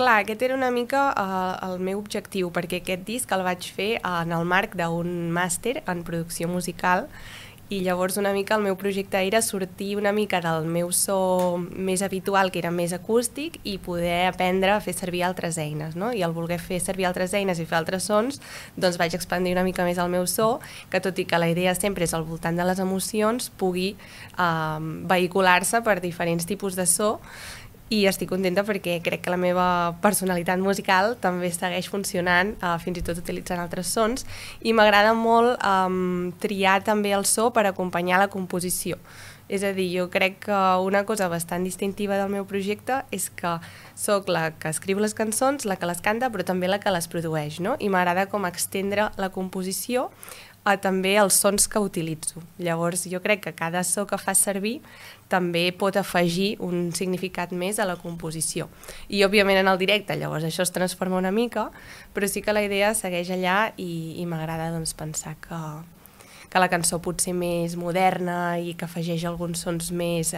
Clar, aquest era una mica el meu objectiu, perquè aquest disc el vaig fer en el marc d'un màster en producció musical i llavors una mica el meu projecte era sortir una mica del meu so més habitual, que era més acústic, i poder aprendre a fer servir altres eines, no? I al voler fer servir altres eines i fer altres sons, doncs vaig expandir una mica més el meu so, que tot i que la idea sempre és al voltant de les emocions, pugui vehicular-se per diferents tipus de so. I estic contenta perquè crec que la meva personalitat musical també segueix funcionant, fins i tot utilitzant altres sons, i m'agrada molt triar també el so per acompanyar la composició. És a dir, jo crec que una cosa bastant distintiva del meu projecte és que sóc la que escriu les cançons, la que les canta, però també la que les produeix, no? I m'agrada com extendre la composició a també els sons que utilitzo. Llavors, jo crec que cada so que fas servir també pot afegir un significat més a la composició. I, òbviament, en el directe, llavors això es transforma una mica, però sí que la idea segueix allà i m'agrada doncs, pensar que la cançó pot ser més moderna i que afegeix alguns sons més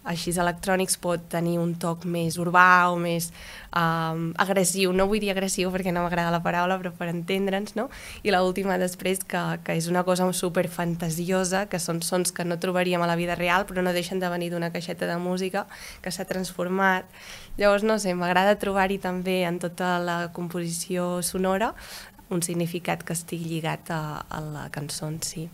així electrònics, pot tenir un toc més urbà o més agressiu. No vull dir agressiu perquè no m'agrada la paraula, però per entendre'ns, no? I l'última després, que és una cosa super fantasiosa, que són sons que no trobaríem a la vida real, però no deixen de venir d'una caixeta de música que s'ha transformat. Llavors, no sé, m'agrada trobar-hi també en tota la composició sonora un significat que estigui lligat a la cançó en si.